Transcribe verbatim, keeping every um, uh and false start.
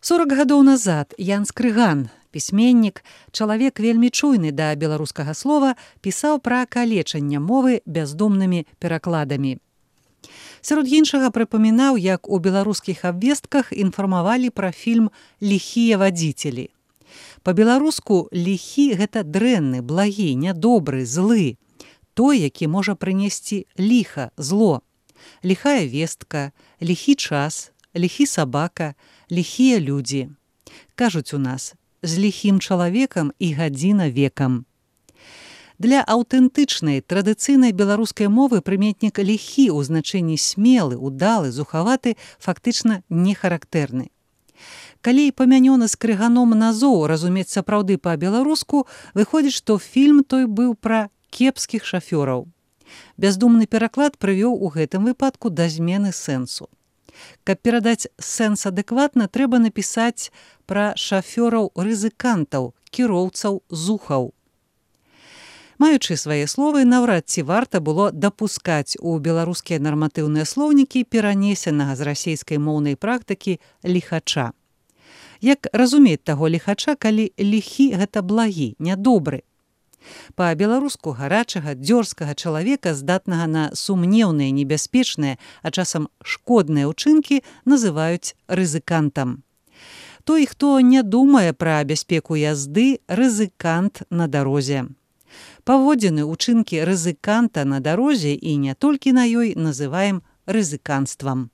сорак гадоў назад Ян Скрыган, пісьменнік, чалавек вельмі чуйны да беларускага слова, пісаў пра калечанне мовы бяздумнымі перакладамі. Сярод іншага прыпамінаў, як у беларускіх абвестках інфармавалі пра фільм «Ліхія вадзіцелі». Па-беларуску ліхі – гэта дрэнны, благі, нядобры, злы, той, які можа прынесці ліха, зло. Ліхая вестка, ліхі час, ліхі сабака, ліхія людзі. Кажуць у нас, з ліхім чалавекам і гадзіна векам. Для аўтэнтычнай, традыцыйнай беларускай мовы прыметнік ліхі ў значэнні смелы, удалы, зухаваты фактычна не характэрны. Калі памянёны Скрыганом назоў разумець сапраўды па-беларуску, выходзіць, што фільм той быў пра кепскіх шафёраў. Бяздумны пераклад прывёў у гэтым выпадку да змены сэнсу. Каб перадаць сэнс адэкватна, трэба напісаць пра шафёраў-рызыкантаў, кіроўцаў зухаў. Маючы свае словы, наўрад ці варта было дапускаць у беларускія нарматыўныя слоўнікі перанесенага з расейскай моўнай практыкі ліхача. Як разумець таго ліхача, калі ліхі – гэта благі, нядобры? Па-беларуску гарачага, дзёрзкага чалавека, здатнага на сумнеўныя, небяспечныя, а часам шкодныя ўчынкі, называюць рызыкантам. Той, хто не думае пра бяспеку язды, рызыкант на дарозе. Паводзіны, учынкі рызыканта на дарозе і не толькі на ёй называем рызыканствам.